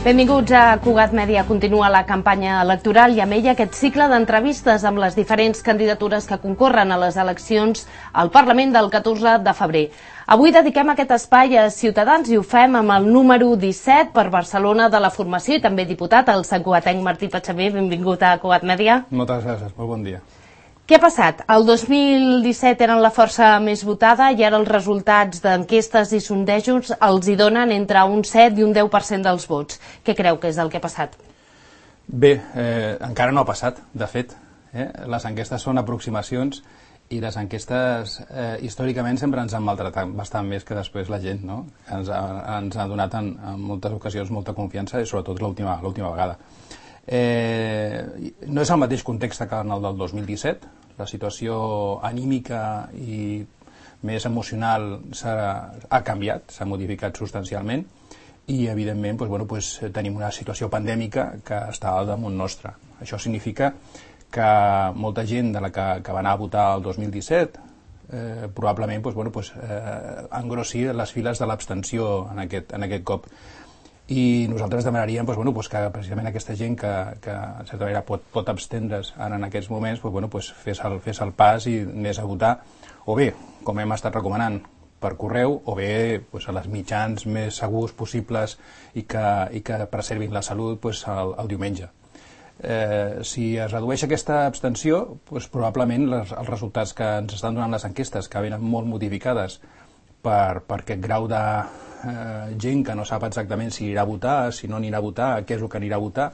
Benvinguts a Cugat Mèdia. Continua la campanya electoral i amb ella aquest cicle d'entrevistes amb les diferents candidatures que concorren a les eleccions al Parlament del 14 de febrer. Avui dediquem aquest espai a Ciutadans i ho fem amb el número 17 per Barcelona de la formació i també diputat, el santcugatenc Martí Patxaver. Benvingut a Cugat Mèdia. Moltes gràcies, molt bon dia. Què ha passat? El 2017 eren la força més votada i ara els resultats d'enquestes i sondejos els hi donen entre un 7 i un 10% dels vots. Què creu que és el que ha passat? Bé, encara no ha passat, de fet. Les enquestes són aproximacions i les enquestes històricament sempre ens han maltratat bastant més que després la gent, no? Ens ha donat en moltes ocasions molta confiança i sobretot l'última vegada. No és el mateix context que en el del 2017, la situació anímica i més emocional ha canviat, s'ha modificat substancialment i evidentment tenim una situació pandèmica que està al damunt nostre. Això significa que molta gent de la que va anar a votar el 2017 probablement engrossi les files de l'abstenció en aquest cop. I nosaltres demanaríem que precisament aquesta gent que en certa manera pot abstendre's en aquests moments fes el pas i anés a votar, o bé, com hem estat recomanant, per correu, o bé a les mitjans més segurs possibles i que preservin la salut el diumenge. Si es redueix aquesta abstenció, probablement els resultats que ens estan donant les enquestes, que venen molt modificades per aquest grau de gent que no sap exactament si anirà a votar, si no anirà a votar, què és el que anirà a votar,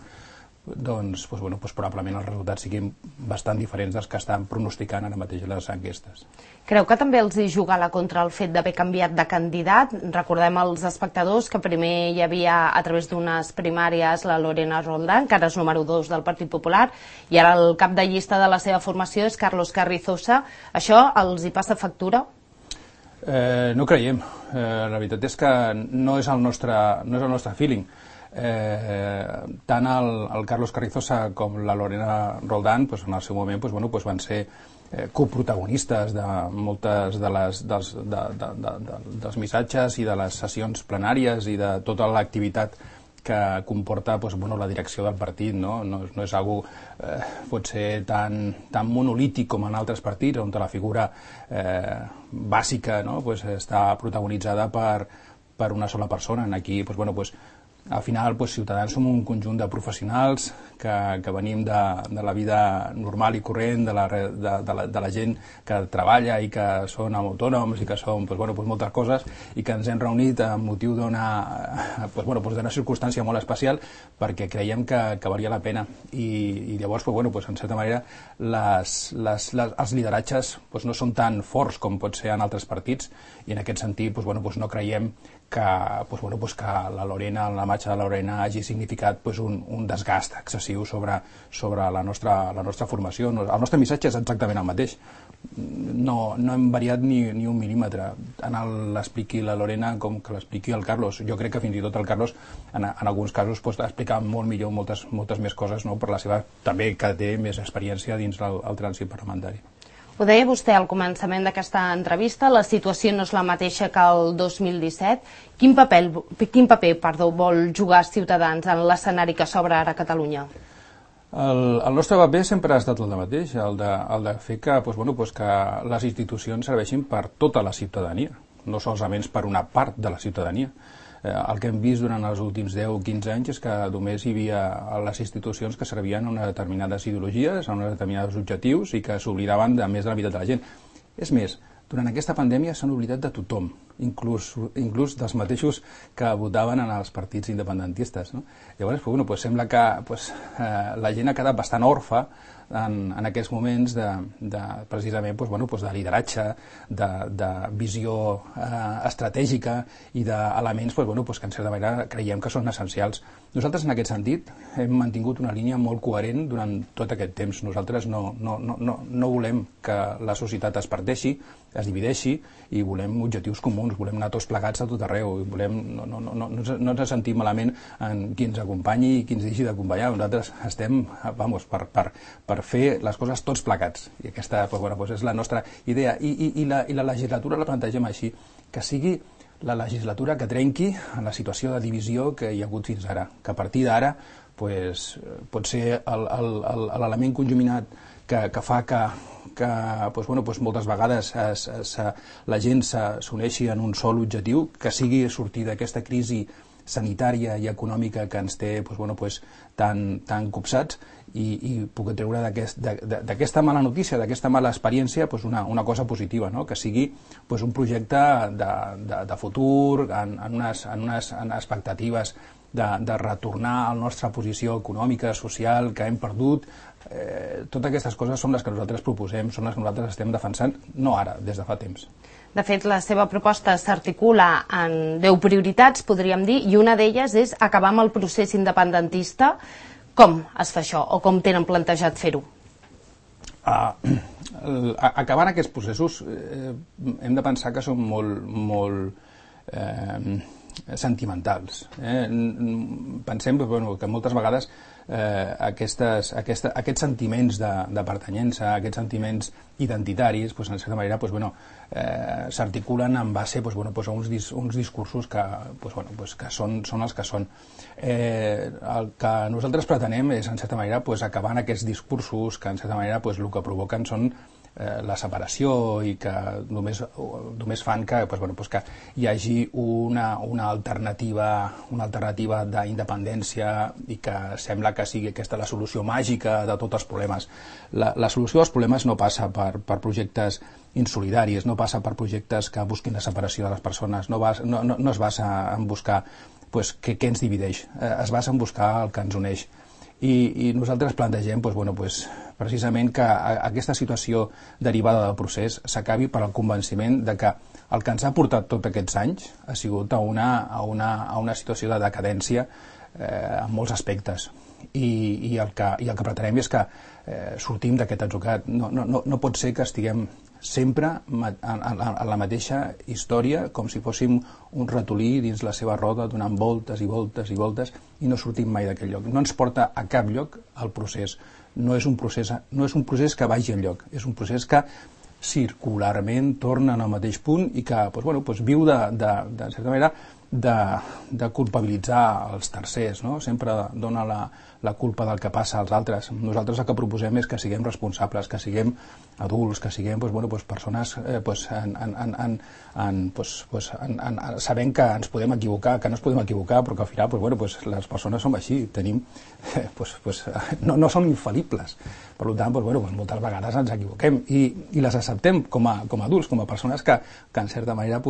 doncs probablement els resultats siguin bastant diferents dels que estan pronosticant ara mateix les enquestes. Creu que també els hi juga la contra el fet d'haver canviat de candidat? Recordem als espectadors que primer hi havia, a través d'unes primàries, la Lorena Roldán, que ara és número 2 del Partit Popular, i ara el cap de llista de la seva formació és Carlos Carrizosa. Això els hi passa factura? No creiem. La veritat és que no és el nostre feeling. Tant el Carlos Carrizosa com la Lorena Roldán en el seu moment van ser coprotagonistes de moltes dels missatges i de les sessions plenàries i de tota l'activitat que comporta la direcció del partit. No és algo potser tan monolític com en altres partits, on la figura bàsica està protagonitzada per una sola persona. Aquí al final Ciutadans som un conjunt de professionals que venim de la vida normal i corrent, de la gent que treballa i que són autònoms i que són moltes coses, i que ens hem reunit amb motiu d'una circumstància molt especial perquè creiem que valia la pena. I llavors, en certa manera, els lideratges no són tan forts com pot ser en altres partits, i en aquest sentit no creiem que la Lorena, la marxa de la Lorena, hagi significat un desgast excessiu sobre la nostra formació. El nostre missatge és exactament el mateix. No hem variat ni un mil·límetre. Tant l'expliqui la Lorena com que l'expliqui el Carlos. Jo crec que fins i tot el Carlos, en alguns casos, explica molt millor moltes més coses, per la seva, també que té més experiència dins el trànsit parlamentari. Ho deia vostè al començament d'aquesta entrevista, la situació no és la mateixa que el 2017. Quin paper vol jugar Ciutadans en l'escenari que s'obre ara a Catalunya? El nostre paper sempre ha estat el mateix, el de fer que les institucions serveixin per tota la ciutadania, no solament per una part de la ciutadania. El que hem vist durant els últims 10 o 15 anys és que només hi havia les institucions que servien a unes determinades ideologies, a uns determinats objectius, i que s'oblidaven de més de la meitat de la gent. És més, durant aquesta pandèmia s'han oblidat de tothom, inclús dels mateixos que votaven en els partits independentistes. Llavors, sembla que la gent ha quedat bastant orfa en aquests moments precisament de lideratge, de visió estratègica i d'elements que en certa manera creiem que són essencials. Nosaltres en aquest sentit hem mantingut una línia molt coherent durant tot aquest temps. Nosaltres no volem que la societat es parteixi, es divideixi, i volem objectius comuns, volem anar tots plegats a tot arreu, no ens sentim malament en qui ens acompanyi i qui ens deixi d'acompanyar. Nosaltres estem per fer les coses tots plegats, i aquesta és la nostra idea, i la legislatura la plantegem així, que sigui la legislatura que trenqui en la situació de divisió que hi ha hagut fins ara, que a partir d'ara pues, pot ser l'element conjuminat que fa que pues, bueno, pues, moltes vegades la gent s'uneixi en un sol objectiu, que sigui sortir d'aquesta crisi sanitària i econòmica que ens té pues, bueno, pues, tan copsats i poder treure d'aquesta mala notícia, d'aquesta mala experiència pues, una cosa positiva, no? Que sigui pues, un projecte de futur, en unes expectatives de retornar a la nostra posició econòmica, social, que hem perdut. Totes aquestes coses són les que nosaltres proposem, són les que nosaltres estem defensant, no ara, des de fa temps. De fet, la seva proposta s'articula en 10 prioritats, podríem dir, i una d'elles és acabar amb el procés independentista. Com es fa això, o com tenen plantejat fer-ho? Acabant aquests processos hem de pensar que són molt sentimentals. Pensem que moltes vegades aquests sentiments de pertanyença, aquests sentiments identitaris, en certa manera s'articulen en base a uns discursos que són els que són. El que nosaltres pretenem és, en certa manera, acabar en aquests discursos que, en certa manera, el que provoquen són la separació i que només fan que hi hagi una alternativa d'independència i que sembla que sigui aquesta la solució màgica de tots els problemes. La solució dels problemes no passa per projectes insolidaris, no passa per projectes que busquin la separació de les persones, no es basa en buscar què ens divideix, es basa en buscar el que ens uneix. I nosaltres plantegem precisament que aquesta situació derivada del procés s'acabi per al convenciment de que el que ens ha portat tots aquests anys ha sigut a una situació de decadència en molts aspectes. I el que pretenem és que sortim d'aquest atzucac. No pot ser que estiguem sempre en la mateixa història, com si fóssim un ratolí dins la seva roda donant voltes i voltes i voltes i no sortim mai d'aquell lloc. No ens porta a cap lloc el procés. No és un procés que vagi enlloc, és un procés que circularment torna al mateix punt i que viu de certa manera de culpabilitzar els tercers, no? Sempre dona la culpa del que passa als altres. Nosaltres el que proposem és que siguem responsables, que siguem adults, que siguem persones sabent que ens podem equivocar, que no ens podem equivocar, però que al final les persones som així, no som infal·libles. Per tant, moltes vegades ens equivoquem i les acceptem com a adults, com a persones que en certa manera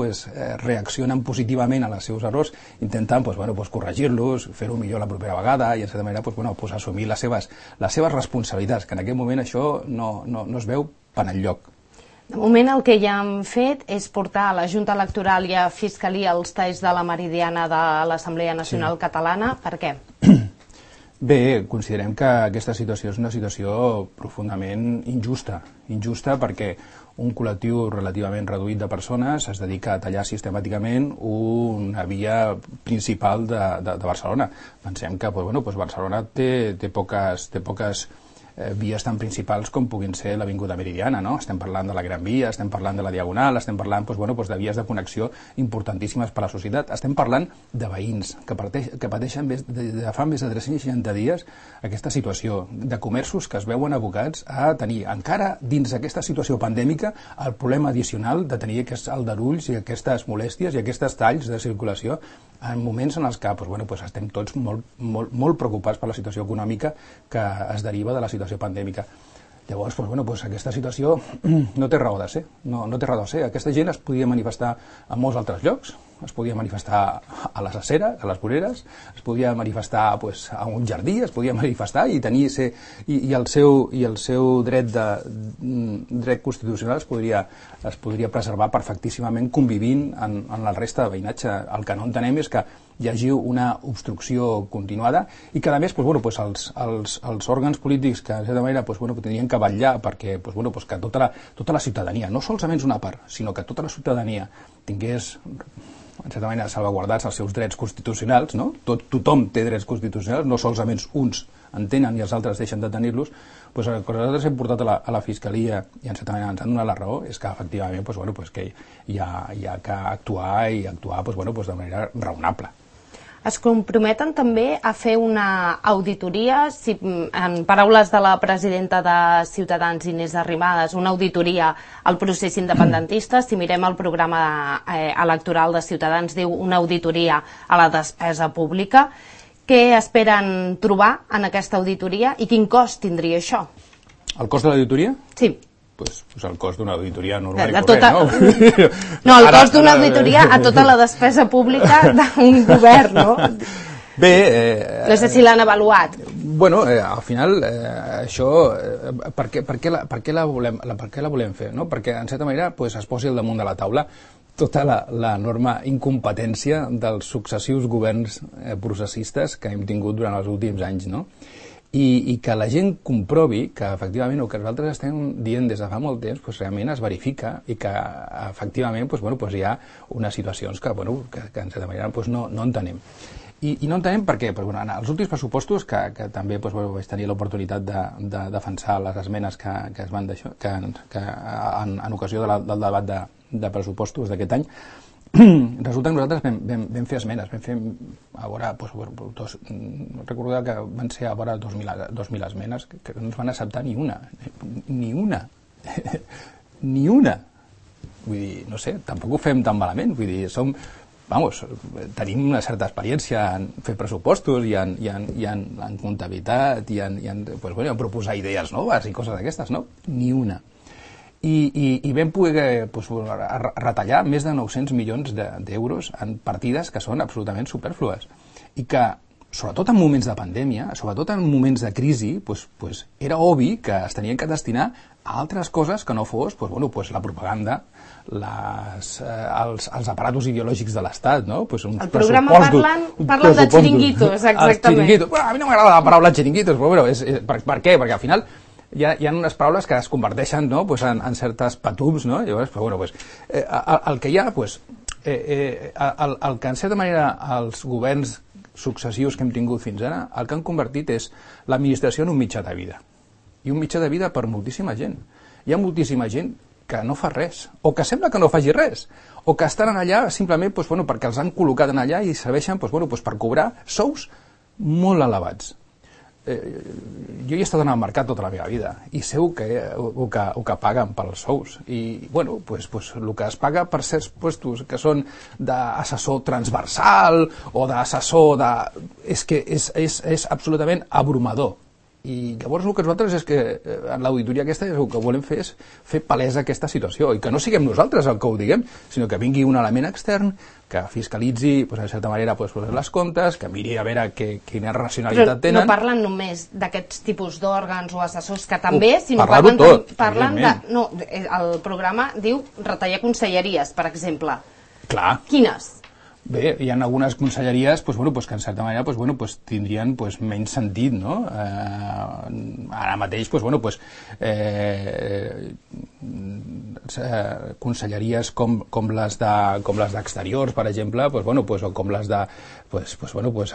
reaccionen positivament a les seus errors, intentant corregir-los, fer-ho millor la propera vegada i en certa manera assumir les seves responsabilitats, que en aquest moment això no es veu per enlloc. De moment el que ja han fet és portar a la Junta Electoral i a Fiscalia els talls de la Meridiana de l'Assemblea Nacional Catalana. Per què? Bé, considerem que aquesta situació és una situació profundament injusta perquè un col·lectiu relativament reduït de persones es dedica a tallar sistemàticament una via principal de Barcelona. Pensem que Barcelona té poques vies tan principals com puguin ser l'Avinguda Meridiana, no? Estem parlant de la Gran Via, estem parlant de la Diagonal, estem parlant de vies de connexió importantíssimes per a la societat, estem parlant de veïns que pateixen de fa més de 360 dies aquesta situació, de comerços que es veuen abocats a tenir encara dins d'aquesta situació pandèmica el problema addicional de tenir aquests aldarulls i aquestes molèsties i aquests talls de circulació en moments en els que estem tots molt preocupats per la situació econòmica que es deriva de la situació pandèmica. Llavors, aquesta situació no té raó de ser. No té raó de ser. Aquesta gent es podia manifestar en molts altres llocs, es podia manifestar a les aceres, a les voreres, es podia manifestar a un jardí, es podia manifestar i tenir i el seu dret constitucional es podria preservar perfectíssimament convivint en la resta de veïnatge. El que no entenem és que hi hagi una obstrucció continuada i que a més els òrgans polítics que de certa manera tenien que vetllar perquè que tota la ciutadania, no solament una part, sinó que tota la ciutadania tingués en certa manera, salvaguardats els seus drets constitucionals, no? Tothom té drets constitucionals, no solament uns en tenen i els altres deixen de tenir-los, doncs el que nosaltres hem portat a la Fiscalia i en certa manera ens han donat la raó és que efectivament que hi ha que actuar i actuar de manera raonable. Es comprometen també a fer una auditoria, en paraules de la presidenta de Ciutadans, Inés Arrimadas, una auditoria al procés independentista. Si mirem el programa electoral de Ciutadans, diu una auditoria a la despesa pública. Què esperen trobar en aquesta auditoria i quin cost tindria això? El cost de l'auditoria? Sí. Pues el cost d'una auditoria normal i corrent, no? No, el cost d'una auditoria a tota la despesa pública d'un govern, no? Bé... No sé si l'han avaluat. Bueno, al final, això, per què la volem fer? No? Perquè, en certa manera, es posi al damunt de la taula tota l'enorme incompetència dels successius governs processistes que hem tingut durant els últims anys, no? I que la gent comprovi que efectivament el que nosaltres estem dient des de fa molt temps realment es verifica i que efectivament hi ha unes situacions que en certa manera no entenem. I no entenem per què. En els últims pressupostos, que també vaig tenir l'oportunitat de defensar les esmenes que es van deixar en ocasió del debat de pressupostos d'aquest any, resulta que nosaltres vam fer esmenes, vam fer a vora, recordeu que van ser a vora 2.000 esmenes, que no ens van acceptar ni una. Ni una. Vull dir, no sé, tampoc ho fem tan malament, vull dir, tenim una certa experiència en fer pressupostos i en comptabilitat i en proposar idees noves i coses d'aquestes, no? Ni una. I vam poder retallar més de 900 milions d'euros en partides que són absolutament superflues i que, sobretot en moments de pandèmia, sobretot en moments de crisi, era obvi que es tenien que destinar a altres coses que no fos la propaganda, els aparatos ideològics de l'Estat, no? El programa parlen de xiringuitos, exactament. A mi no m'agrada la paraula xiringuitos, però per què? Perquè al final hi ha unes paraules que es converteixen en certes patums, no? Llavors, el que hi ha, el que en certa manera els governs successius que hem tingut fins ara, el que han convertit és l'administració en un mitjà de vida. I un mitjà de vida per moltíssima gent. Hi ha moltíssima gent que no fa res, o que sembla que no faci res, o que estan allà simplement perquè els han col·locat allà i serveixen per cobrar sous molt elevats. Jo hi he estat en el mercat tota la meva vida i sé el que paguen pels sous i el que es paga per certs puestos que són d'assessor transversal o d'assessor és que és absolutament abrumador. I llavors el que nosaltres és que en l'auditoria aquesta el que volem fer és fer palesa aquesta situació i que no siguem nosaltres el que ho diguem, sinó que vingui un element extern que fiscalitzi, en certa manera, les comptes, que miri a veure quina racionalitat tenen. Però no parlen només d'aquests tipus d'òrgans o assessors que també, sinó parlen de... No, el programa diu retallar conselleries, per exemple. Clar. Quines? Bé, hi ha algunes conselleries que en certa manera tindrien menys sentit, no? Ara mateix conselleries com les d'exteriors, per exemple, o com les de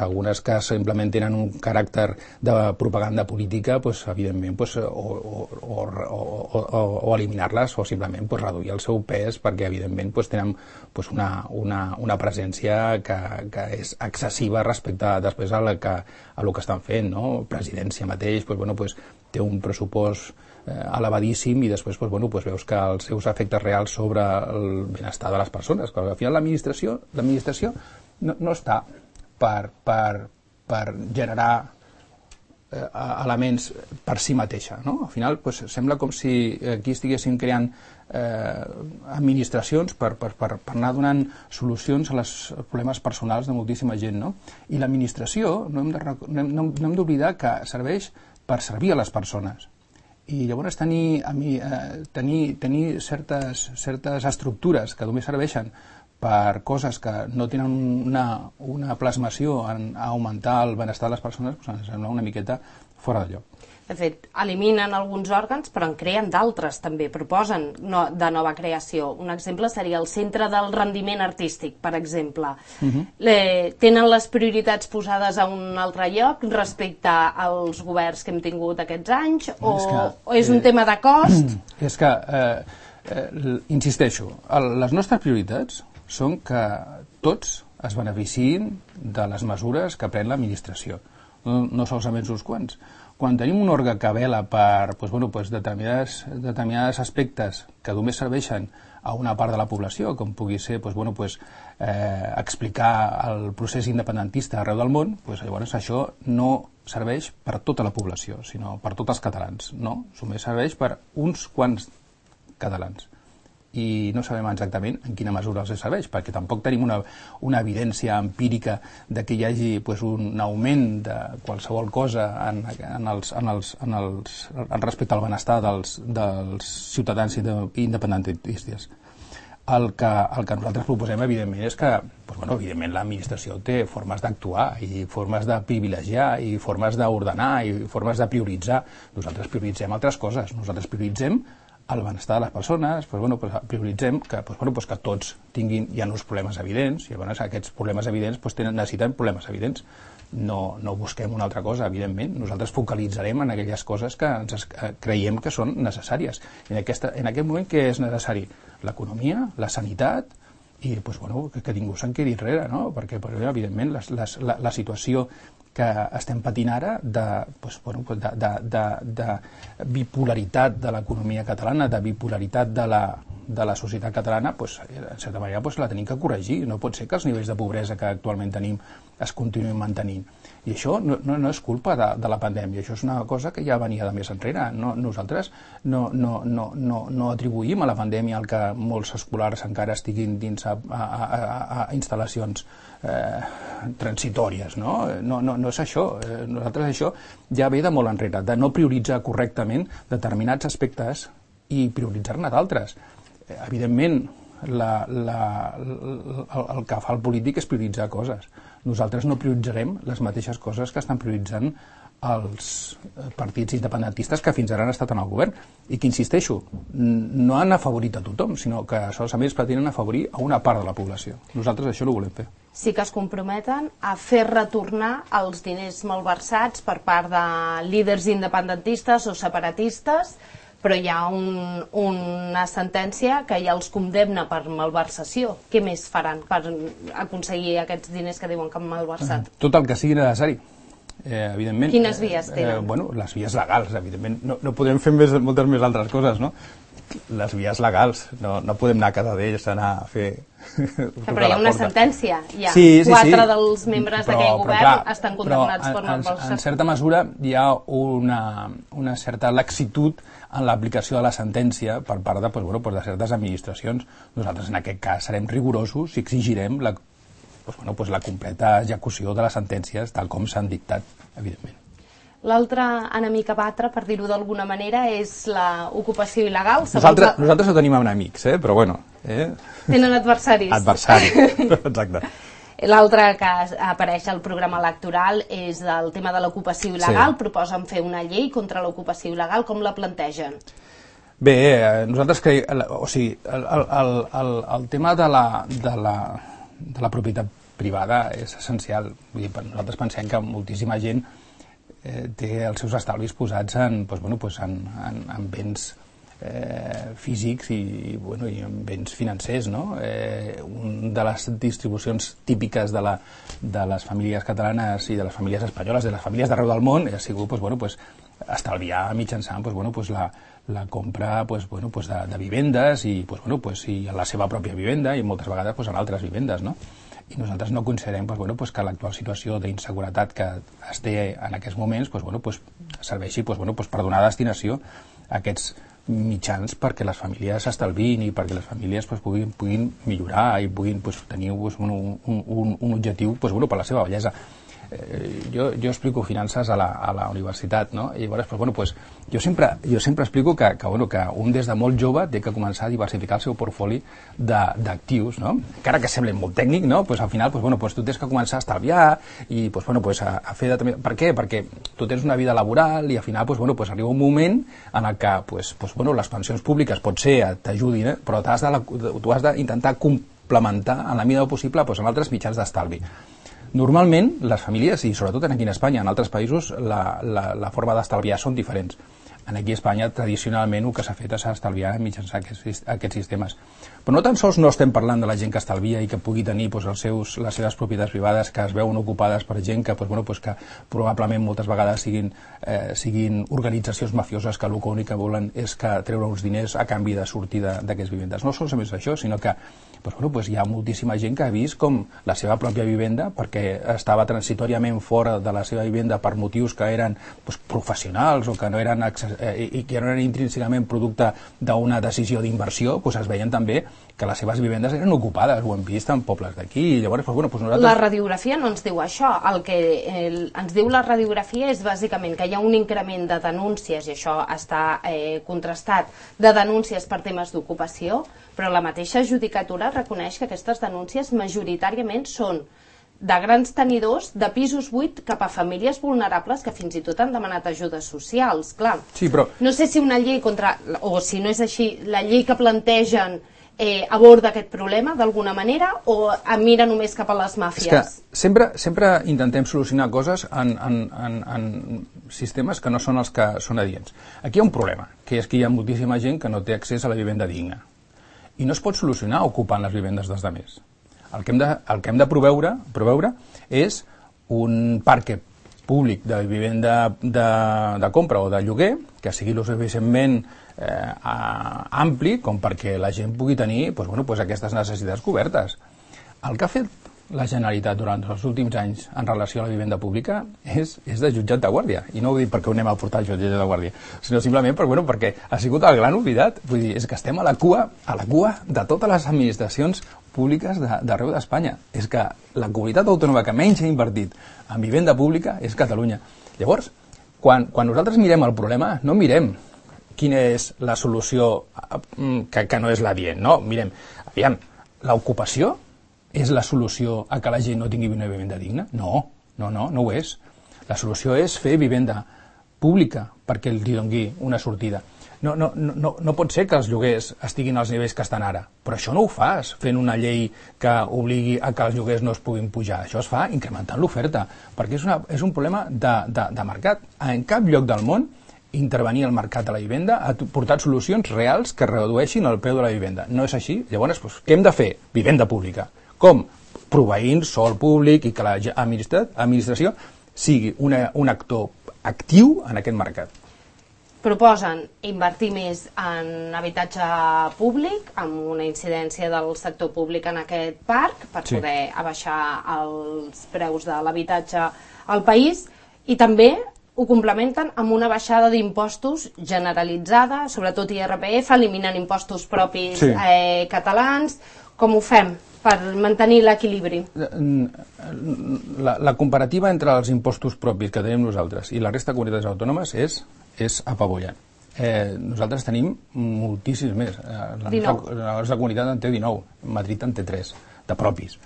algunes que simplement tenen un caràcter de propaganda política, evidentment o eliminar-les o simplement reduir el seu pes perquè evidentment tenen una presència que és excessiva respecte després a lo que estan fent, no? Presidència mateix té un pressupost elevadíssim i després veus que els seus efectes reals sobre el benestar de les persones, que al final l'administració no està per generar elements per si mateixa, no? Al final sembla com si aquí estiguéssim creant administracions per anar donant solucions als problemes personals de moltíssima gent, no? I l'administració no hem d'oblidar que serveix per servir a les persones i llavors tenir certes estructures que només serveixen per coses que no tenen una plasmació en augmentar el benestar de les persones, ens sembla una miqueta fora de lloc. De fet, eliminen alguns òrgans, però en creen d'altres també, proposen de nova creació. Un exemple seria el Centre del Rendiment Artístic, per exemple. Tenen les prioritats posades a un altre lloc respecte als governs que hem tingut aquests anys, o és un tema de cost? És que, insisteixo, les nostres prioritats són que tots es beneficiïn de les mesures que pren l'administració, no solament uns quants. Quan tenim un òrgan que vela per determinats aspectes que només serveixen a una part de la població, com pugui ser explicar el procés independentista arreu del món, llavors això no serveix per tota la població, sinó per tots els catalans. No, només serveix per uns quants catalans. I no sabem exactament en quina mesura els serveix, perquè tampoc tenim una evidència empírica de que hi hagi un augment de qualsevol cosa respecte al benestar dels ciutadans independentistes. El que nosaltres proposem, evidentment, és que evidentment l'administració té formes d'actuar i formes de privilegiar i formes d'ordenar i formes de prioritzar. Nosaltres prioritzem altres coses. Nosaltres prioritzem el benestar de les persones, prioritzem que tots tinguin ja uns problemes evidents, i llavors aquests problemes evidents necessiten problemes evidents. No busquem una altra cosa, evidentment. Nosaltres focalitzarem en aquelles coses que creiem que són necessàries. En aquest moment, què és necessari? L'economia, la sanitat, i que ningú se'n quedi enrere, no? Perquè evidentment la situació que estem patint ara de bipolaritat de l'economia catalana, de bipolaritat de la societat catalana, en certa manera la tenim que corregir. No pot ser que els nivells de pobresa que actualment tenim es continuïn mantenint. I això no és culpa de la pandèmia, això és una cosa que ja venia de més enrere. Nosaltres no atribuïm a la pandèmia el que molts escolars encara estiguin dins a instal·lacions transitòries, no és això. Nosaltres això ja ve de molt enrere, de no prioritzar correctament determinats aspectes i prioritzar-ne d'altres. Evidentment, el que fa el polític és prioritzar coses. Nosaltres no prioritzarem les mateixes coses que estan prioritzant els partits independentistes que fins ara han estat en el govern i que, insisteixo, no han afavorit a tothom, sinó que solament es pretenen afavorir a una part de la població. Nosaltres això no ho volem fer. Sí que es comprometen a fer retornar els diners malversats per part de líders independentistes o separatistes, però hi ha una sentència que ja els condemna per malversació. Què més faran per aconseguir aquests diners que diuen que han malversat? Tot el que sigui necessari. Evidentment. Quines vies tenen? Les vies legals, evidentment. No podem fer moltes més altres coses, no? Les vies legals. No podem anar a cada d'ells a anar a fer... Però hi ha una sentència, ja. Sí. 4 dels membres d'aquell govern estan condemnats per malversació. En certa mesura hi ha una certa laxitud en l'aplicació de la sentència per part de certes administracions. Nosaltres en aquest cas serem rigorosos i exigirem la completa execució de les sentències tal com s'han dictat, evidentment. L'altre enemic a batre, per dir-ho d'alguna manera, és l'ocupació il·legal. Nosaltres no tenim enemics, però bueno. Tenen adversaris. Adversaris, exacte. L'altre que apareix al programa electoral és el tema de l'ocupació il·legal. Sí. Proposen fer una llei contra l'ocupació il·legal. Com la plantegen? Bé, nosaltres creiem... O sigui, el tema de la propietat privada és essencial. Vull dir, nosaltres pensem que moltíssima gent té els seus estalvis posats en béns físics i en béns financers, no? Una de les distribucions típiques de les famílies catalanes i de les famílies espanyoles, de les famílies d'arreu del món, ha sigut estalviar mitjançant la compra de vivendes i en la seva pròpia vivenda i moltes vegades en altres vivendes, no? I nosaltres no considerem que l'actual situació d'inseguretat que es té en aquests moments serveixi per donar destinació a aquests mitjans perquè les famílies s'estalvin i perquè les famílies puguin millorar i puguin tenir un objectiu per la seva bellesa. jo explico finances a la universitat, no? I llavors, pues, bueno, pues, jo sempre explico que un des de molt jove té que començar a diversificar el seu portfoli d'actius, no? Encara que sembli molt tècnic, no? Pues, al final, pues, bueno, pues, tu tens que començar a estalviar i pues, bueno, pues, a fer... Per què? Perquè tu tens una vida laboral i al final pues, bueno, pues, arriba un moment en el que pues, bueno, les pensions públiques potser t'ajudin, però tu has d'intentar complementar en la mida del possible pues, amb altres mitjans d'estalvi. Normalment, les famílies, i sobretot aquí en Espanya, en altres països, la forma d'estalviar són diferents. Aquí a Espanya, tradicionalment, el que s'ha fet és estalviar mitjançant aquests sistemes. Però no tan sols no estem parlant de la gent que estalvia i que pugui tenir les seves propietats privades que es veuen ocupades per gent que probablement moltes vegades siguin organitzacions mafioses que l'únic que volen és treure uns diners a canvi de sortir d'aquestes vivendes. No solament això, sinó que hi ha moltíssima gent que ha vist com la seva pròpia vivenda, perquè estava transitòriament fora de la seva vivenda per motius que eren professionals o que no eren i que no eren intrínsecament producte d'una decisió d'inversió, es veien també que les seves vivendes eren ocupades, ho hem vist en pobles d'aquí. Llavors, nosaltres... La radiografia no ens diu això. El que ens diu la radiografia és bàsicament que hi ha un increment de denúncies, i això està contrastat, de denúncies per temes d'ocupació, però la mateixa judicatura reconeix que aquestes denúncies majoritàriament són de grans tenidors de pisos buits cap a famílies vulnerables que fins i tot han demanat ajudes socials, clar. Sí, però... No sé si una llei o si no és així, la llei que plantegen aborda aquest problema d'alguna manera o mira només cap a les màfies? És que sempre intentem solucionar coses en sistemes que no són els que són adients. Aquí hi ha un problema, que és que hi ha moltíssima gent que no té accés a la vivenda digna. I no es pot solucionar ocupant les vivendes dels altres. El que hem de proveure és un parc públic de vivenda de compra o de lloguer que sigui lo suficientment ampli com perquè la gent pugui tenir aquestes necessitats cobertes. El que ha fet la Generalitat durant els últims anys en relació a la vivenda pública és de jutjat de guàrdia. I no ho dic perquè ho anem a portar al jutjat de guàrdia, sinó simplement perquè ha sigut el gran oblidat. Vull dir, és que estem a la cua de totes les administracions públiques d'arreu d'Espanya. És que la comunitat autònoma que menys ha invertit en vivenda pública és Catalunya. Llavors, quan nosaltres mirem el problema, no mirem quina és la solució que no és l'adient, no? Mirem, aviam, l'ocupació és la solució a que la gent no tingui una vivenda digna? No ho és. La solució és fer vivenda pública perquè li doni una sortida. No pot ser que els lloguers estiguin als nivells que estan ara, però això no ho fas fent una llei que obligui a que els lloguers no es puguin pujar. Això es fa incrementant l'oferta, perquè és un problema de mercat. En cap lloc del món intervenir al mercat de la vivenda ha portat solucions reals que redueixin el preu de la vivenda. No és així? Llavors, què hem de fer? Vivenda pública. Com? Proveint sòl públic i que l'administració sigui un actor actiu en aquest mercat. Proposen invertir més en habitatge públic, amb una incidència del sector públic en aquest parc, per poder abaixar els preus de l'habitatge al país, i també ho complementen amb una baixada d'impostos generalitzada, sobretot IRPF, eliminant impostos propis catalans. Com ho fem per mantenir l'equilibri? La comparativa entre els impostos propis que tenim nosaltres i la resta de comunitats autònomes és apabullant. Nosaltres tenim moltíssims més. La nostra comunitat en té 19, Madrid en té 3, de propis.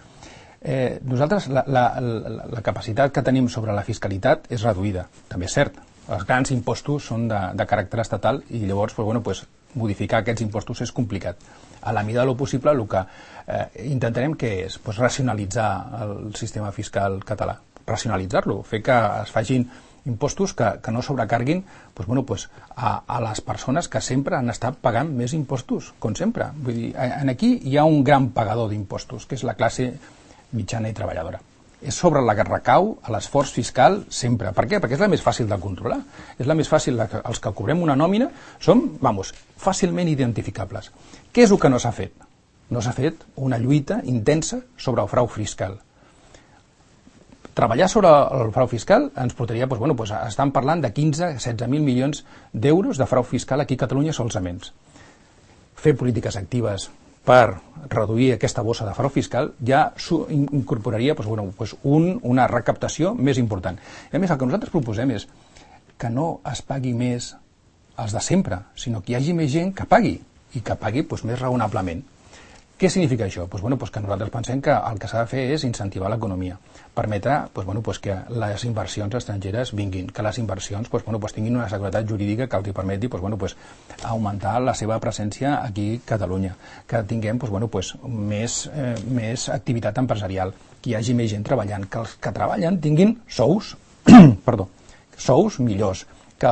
Nosaltres la capacitat que tenim sobre la fiscalitat és reduïda, també és cert. Els grans impostos són de caràcter estatal i llavors modificar aquests impostos és complicat. A la mida del possible el que intentarem que és racionalitzar el sistema fiscal català, racionalitzar-lo, fer que es facin impostos que no sobrecarguin a les persones que sempre han estat pagant més impostos, com sempre. Vull dir, aquí hi ha un gran pagador d'impostos, que és la classe mitjana i treballadora. És sobre la que recau l'esforç fiscal sempre. Per què? Perquè és la més fàcil de controlar. És la més fàcil, els que cobrem una nòmina som, fàcilment identificables. Què és el que no s'ha fet? No s'ha fet una lluita intensa sobre el frau fiscal. Treballar sobre el frau fiscal ens portaria, estan parlant de 15-16.000 milions d'euros de frau fiscal aquí a Catalunya solament. Fer polítiques actives per reduir aquesta bossa de frau fiscal ja incorporaria una recaptació més important. I a més, el que nosaltres proposem és que no es pagui més els de sempre, sinó que hi hagi més gent que pagui, i que pagui més raonablement. Què significa això? Que nosaltres pensem que el que s'ha de fer és incentivar l'economia, permetre que les inversions estrangeres vinguin, que les inversions tinguin una seguretat jurídica que els permeti augmentar la seva presència aquí a Catalunya, que tinguem més activitat empresarial, que hi hagi més gent treballant, que els que treballen tinguin sous, sous millors, que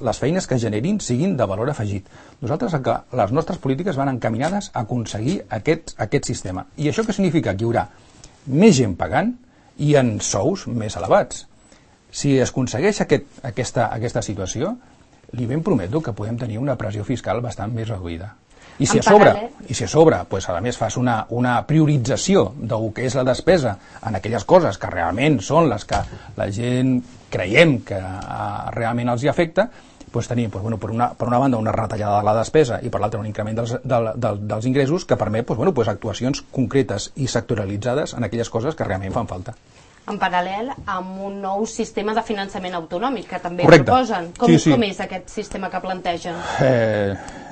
les feines que generin siguin de valor afegit. Nosaltres, les nostres polítiques van encaminades a aconseguir aquest sistema. I això què significa? Que hi haurà més gent pagant i en sous més elevats. Si es aconsegueix aquesta situació, li ben prometo que podem tenir una pressió fiscal bastant més reduïda. I si a sobre a més fas una priorització del que és la despesa en aquelles coses que realment són les que la gent creiem que realment els hi afecta, tenim per una banda una retallada de la despesa i per l'altra un increment dels ingressos que permet actuacions concretes i sectorialitzades en aquelles coses que realment fan falta. En paral·lel amb un nou sistema de finançament autonòmic que també proposen. Com és aquest sistema que plantegen?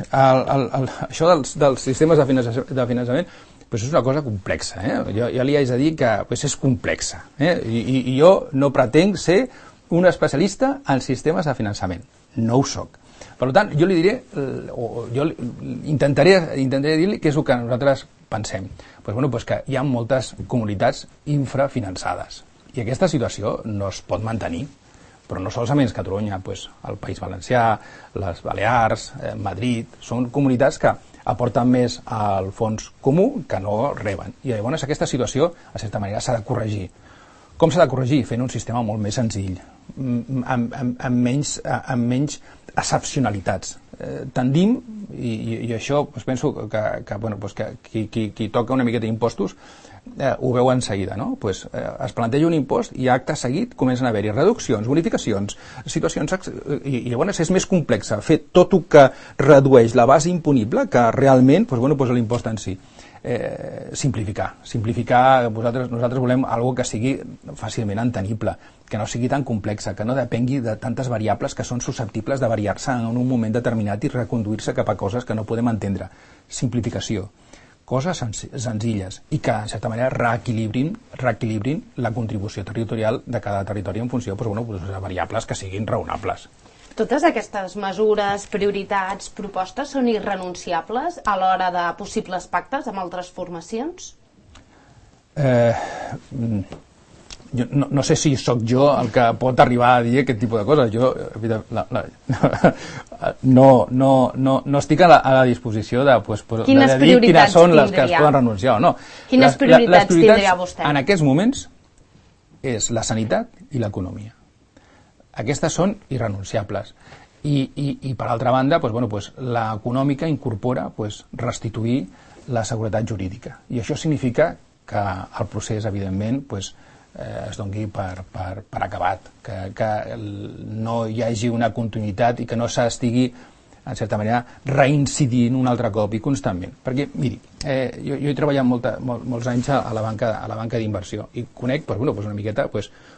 Això dels sistemes de finançament és una cosa complexa. Jo li haig de dir que és complexa. I jo no pretenc ser un especialista en sistemes de finançament. No ho soc. Per tant, jo li diré, jo intentaré dir-li què és el que nosaltres pensem. Que hi ha moltes comunitats infrafinançades i aquesta situació no es pot mantenir, però no solament Catalunya, el País Valencià, les Balears, Madrid, són comunitats que aporten més al fons comú que no reben. I llavors aquesta situació, a certa manera, s'ha de corregir. Com s'ha de corregir? Fent un sistema molt més senzill, amb menys excepcionalitats. Tendim, i això penso que qui toca una miqueta d'impostos ho veu en seguida, no? Es planteja un impost i acte seguit comencen a haver-hi reduccions, bonificacions, situacions, i llavors és més complex fer tot el que redueix la base imponible que realment l'impost en si. Simplificar. Nosaltres volem algo que sigui fàcilment entenible, que no sigui tan complexa, que no depengui de tantes variables que són susceptibles de variar-se en un moment determinat i reconduir-se cap a coses que no podem entendre. Simplificació. Coses senzilles i que, en certa manera, reequilibrin la contribució territorial de cada territori en funció de variables que siguin raonables. Totes aquestes mesures, prioritats, propostes són irrenunciables a l'hora de possibles pactes amb altres formacions? No sé si sóc jo el que pot arribar a dir aquest tipus de coses. Jo no estic a la disposició de dir quines són les que es poden renunciar o no. Quines prioritats tindria vostè? En aquests moments és la sanitat i l'economia. Aquestes són irrenunciables. I per altra banda, l'econòmica incorpora restituir la seguretat jurídica. I això significa que el procés, evidentment, es doni per acabat, que no hi hagi una continuïtat i que no s'estigui, en certa manera, reincidint un altre cop i constantment. Perquè, miri, jo he treballat molts anys a la banca d'inversió i conec una miqueta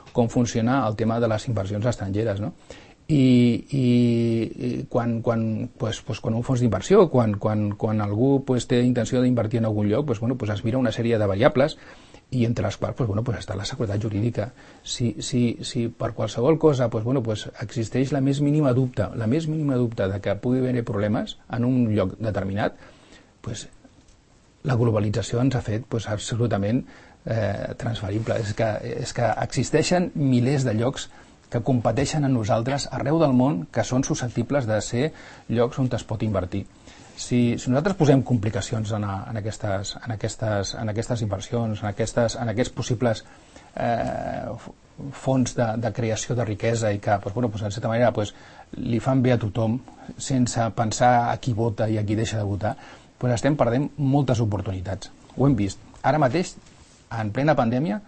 com funciona el tema de les inversions estrangeres, no? I quan un fons d'inversió, quan algú té intenció d'invertir en algun lloc, es mira una sèrie de variables i entre les quals està la seguretat jurídica. Si per qualsevol cosa existeix la més mínima dubte de que pugui haver problemes en un lloc determinat, la globalització ens ha fet absolutament transferible. És que existeixen milers de llocs que competeixen amb nosaltres arreu del món, que són susceptibles de ser llocs on es pot invertir. Si nosaltres posem complicacions en aquestes inversions, en aquests possibles fons de creació de riquesa i que, en certa manera, li fan bé a tothom sense pensar a qui vota i a qui deixa de votar, estem perdent moltes oportunitats. Ho hem vist. Ara mateix, en plena pandèmia,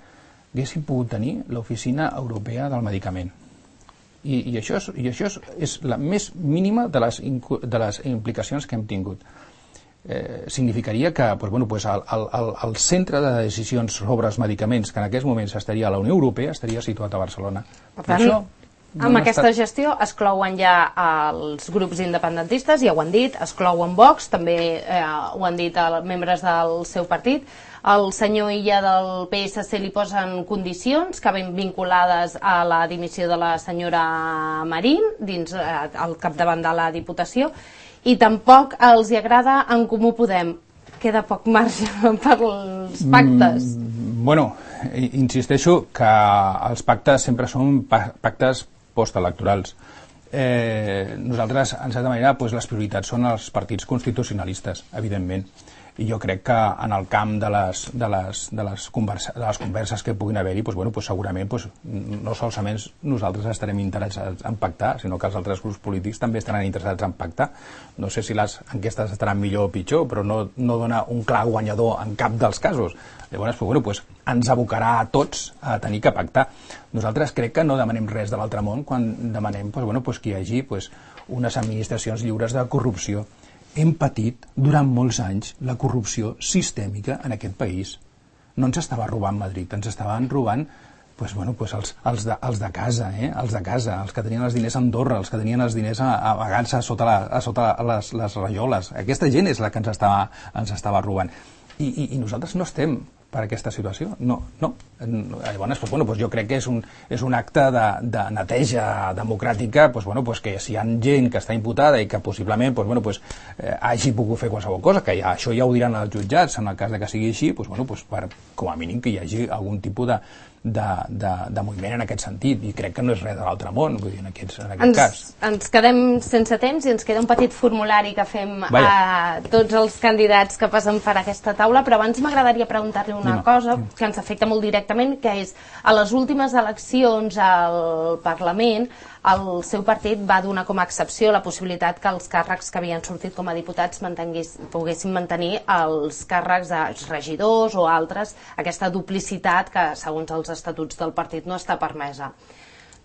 haguéssim pogut tenir l'Oficina Europea del Medicament. I això és la més mínima de les implicacions que hem tingut. significaria que el centre de decisions sobre els medicaments que en aquests moments estaria a la Unió Europea estaria situat a Barcelona. Per tant, amb aquesta gestió es clouen ja els grups independentistes, ja ho han dit, es clouen Vox, també ho han dit els membres del seu partit. El senyor Illa del PSC li posen condicions que ven vinculades a la dimissió de la senyora Marín al capdavant de la Diputació, i tampoc els hi agrada En Comú Podem. Queda poc marge per als pactes. Bueno, insisteixo que els pactes sempre són pactes postelectorals. Nosaltres, en certa manera, les prioritats són els partits constitucionalistes, evidentment. I jo crec que en el camp de les converses que puguin haver-hi, segurament no solament nosaltres estarem interessats en pactar, sinó que els altres grups polítics també estaran interessats en pactar. No sé si les enquestes estaran millor o pitjor, però no dona un clar guanyador en cap dels casos. Llavors, ens abocarà a tots a tenir que pactar. Nosaltres crec que no demanem res de l'altre món quan demanem que hi hagi unes administracions lliures de corrupció. Hem patit durant molts anys la corrupció sistèmica en aquest país. No ens estava robant Madrid, ens estaven robant els de casa, els que tenien els diners a Andorra, els que tenien els diners amagats a sota les rajoles. Aquesta gent és la que ens estava robant. I nosaltres no estem per aquesta situació. No. Llavors, jo crec que és un acte de neteja democràtica, que si hi ha gent que està imputada i que possiblement hagi pogut fer qualsevol cosa, que això ja ho diran els jutjats en el cas de que sigui així, com a mínim que hi hagi algun tipus de moviment en aquest sentit, i crec que no és res de l'altre món, vull dir, en aquest cas. Ens quedem sense temps i ens queda un petit formulari que fem a tots els candidats que passen per aquesta taula, però abans m'agradaria preguntar-li una cosa que ens afecta molt directament, que és, a les últimes eleccions al Parlament, el seu partit va donar com a excepció la possibilitat que els càrrecs que havien sortit com a diputats poguessin mantenir els càrrecs de regidors o altres, aquesta duplicitat que, segons els estatuts del partit, no està permesa.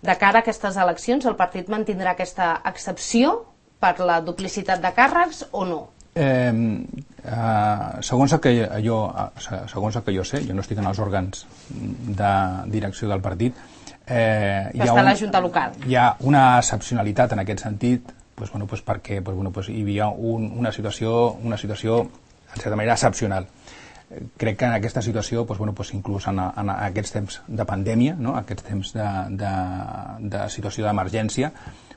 De cara a aquestes eleccions, el partit mantindrà aquesta excepció per la duplicitat de càrrecs o no? Segons el que jo sé, jo no estic en els òrgans de direcció del partit, està a la Junta Local. Hi ha una excepcionalitat en aquest sentit, perquè hi havia una situació en certa manera excepcional. Crec que en aquesta situació, inclús en aquests temps de pandèmia, aquests temps de situació d'emergència,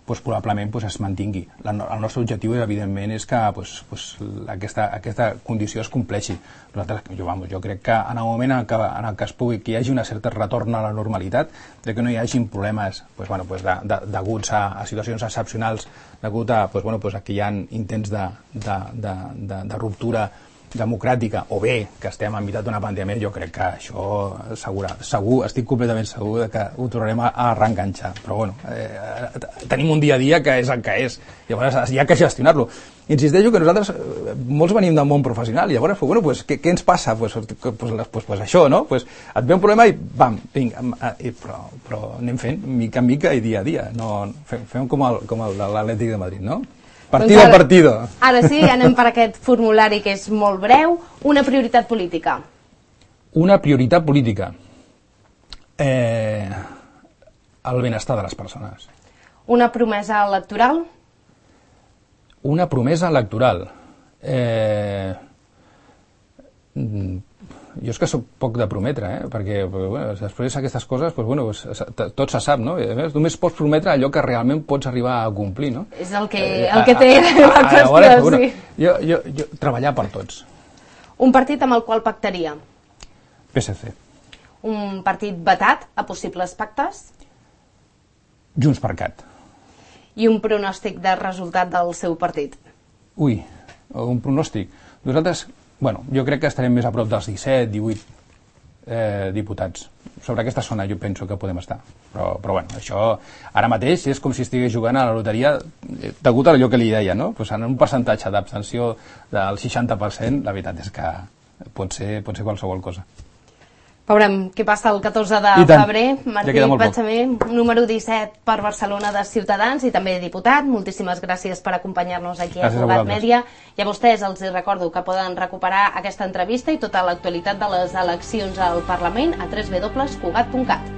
probablement es mantingui. El nostre objectiu, evidentment, és que aquesta condició es compleixi. Jo crec que en el moment en què hi hagi un cert retorn a la normalitat, que no hi hagin problemes deguts a situacions excepcionals, degut a que hi ha intents de ruptura democràtica, o bé que estem enmig d'una pandèmia, jo crec que això segur, estic completament segur que ho tornarem a reenganxar, però tenim un dia a dia que és el que és, llavors hi ha que gestionar-lo. Insisteixo que nosaltres molts venim del món professional, i llavors què ens passa? Això, no? Et ve un problema i bam, però anem fent mica en mica i dia a dia, fem com el de l'Atlètic de Madrid, no? Partido a partido. Ara sí, anem per aquest formulari que és molt breu. Una prioritat política. Una prioritat política. El benestar de les persones. Una promesa electoral. Una promesa electoral. Jo és que soc poc de prometre, perquè després d'aquestes coses tot se sap, no? Només pots prometre allò que realment pots arribar a complir, no? És el que té la qüestió, sí. Jo treballar per tots. Un partit amb el qual pactaria? PSC. Un partit vetat a possibles pactes? JxCat. I un pronòstic de resultat del seu partit? Ui, un pronòstic. Nosaltres, jo crec que estarem més a prop dels 17, 18 diputats. Sobre aquesta zona jo penso que podem estar. Però això ara mateix és com si estigués jugant a la loteria degut a allò que li deia, no? En un percentatge d'abstenció del 60%, la veritat és que pot ser qualsevol cosa. Veurem què passa el 14 de febrer. Martí Pachamé, número 17 per Barcelona de Ciutadans i també diputat. Moltíssimes gràcies per acompanyar-nos aquí a Cugat Mèdia. I a vostès els recordo que poden recuperar aquesta entrevista i tota l'actualitat de les eleccions al Parlament a www.cugat.cat.